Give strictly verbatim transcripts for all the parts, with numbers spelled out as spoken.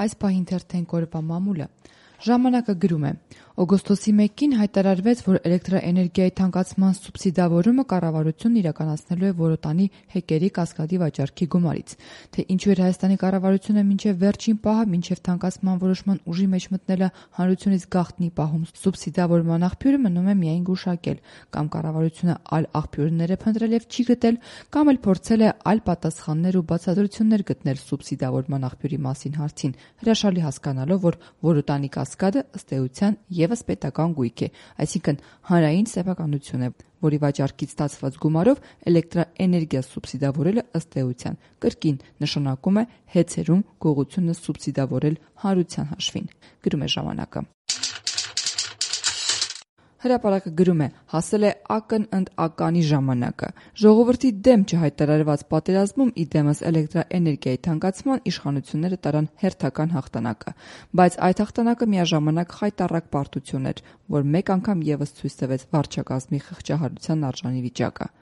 Այս պահին թերթենք օրվա մամուլը։ Ժամանակը գրում է. օգոստոսի մեկին հայտարարվեց, որ էլեկտրաէներգիայի թանկացման սուբսիդավորումը կառավարությունն իրականացնելու է Որոտանի հեկերի կասկադի վաճառքի գումարից։ Թե ինչու էր Հայաստանի կառավարությունը մինչև վերջին պահը, մինչև թանկացման որոշման ուժի մեջ մտնելը հանրությունից գաղտնի պահում սուբսիդավորման աղբյուրը մնում է միայն գուշակել, կամ կառավարությունը այլ աղբյուրներ է փնտրել եւ չի գտել, կամ էլ փորձել է այլ պատասխաններ ու բացատրություններ գտնել սուբսիդավորման աղբյուրի մասին հարցին, հրաշալի հասկանալով, որ Որոտանի կասկադը ըստ էության եւս պետական գույք է, այսինքն հանրային սեփականություն է, որի վաճառքից ստացված գումարով էլեկտրաէներգիա սուբսիդավորելը ըստ էության կրկին նշանակում է հեծերում գողությունը սուբսիդավորել հանրության հաշվին, գրում է ժամանակը։ Հրապարակը գրում է. հասել է ակն ընդ ականի ժամանակը։ Ժողովրդի դեմ չհայտարարված պատերազմում ի դեմս էլեկտրաէներգիայի թանկացման իշխանությունները տարան հերթական հաղթանակը, բայց այդ հաղթանակը միաժամանակ խայտառակ պարտություն էր, որ մեկ անգամ եւս ցույց տվեց վարչակազմի խղճահարության արժանի վիճակը։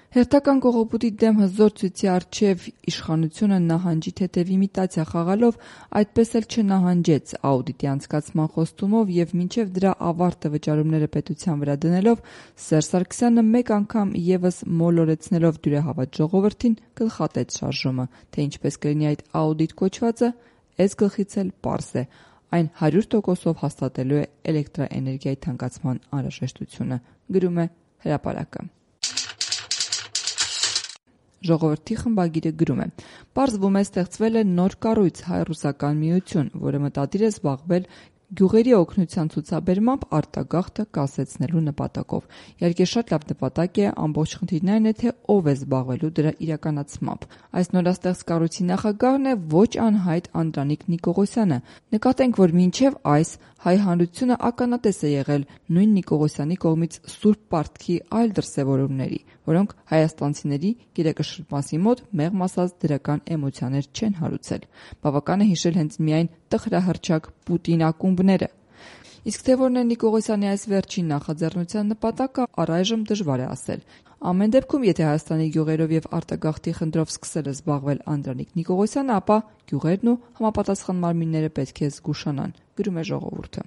Հերթական կողոպուտի դեմ հզոր ցույցի առջև իշխանությունը նահանջի թեթև իմիտացիա խաղալով այդպես էլ չնահանջեց աուդիտի անցկացման խոստումով եւ մինչեւ դրա ավարտը վճարումները պետության վրա դնելով Սերժ Սարգսյանը մեկ անգամ եւս մոլորեցնելով դյուրահավատ ժողովրդին գլխատեց շարժումը, թե ինչպես կլինի այդ աուդիտ կոչվածը, էս գլխից էլ պարզ է, այն հարյուր տոկոսով հաստատելու է էլեկտրաէներգիայի թանկացման անհրաժեշտությունը, գրում է Հրապարակը։ Ժողովրդի խմբագիրը գրում է. պարզվում է ստեղծվել է նոր կառույց հայ-ռուսական միություն, որը մտադիր է զբաղվել գյուղերի օգնության ցուցաբերմամբ արտագաղթը կասեցնելու նպատակով։ Իհարկե շատ լավ նպատակ է, ամբողջ խնդիրն այն է, թե ով է զբաղվելու դրա իրականացմամբ։ Այս նորաստեղծ կառույցի նախագահն է ոչ անհայտ Անդրանիկ Նիկողոսյանը։ Նկատենք, որ մինչև այս հայ հանրությունը ականատես է եղել նույն Նիկողոսյանի կողմից սուրբ պարտքի այլ դրսևորումների, որոնք հայաստանցիների գիտակշռմասի մոտ մեղմ ասած դրական էմոցիաներ չեն հարուցել։ Բավական է հիշել հենց միայն տխրահռչակ Պուտին ակումբները։ Իսկ թե որն է Նիկողոսյանի այս վերջին նախաձեռնության նպատակը, առայժմ դժվար է ասել։ Ամեն դեպքում, եթե Հայաստանի գյուղերով եւ արտագաղթի խնդրով սկսել է զբաղվել Անդրանիկ Նիկողոսյանը, ապա գյուղերն ու համապատասխան մարմինները պետք է զգուշանան, գրում է Ժողովուրդը։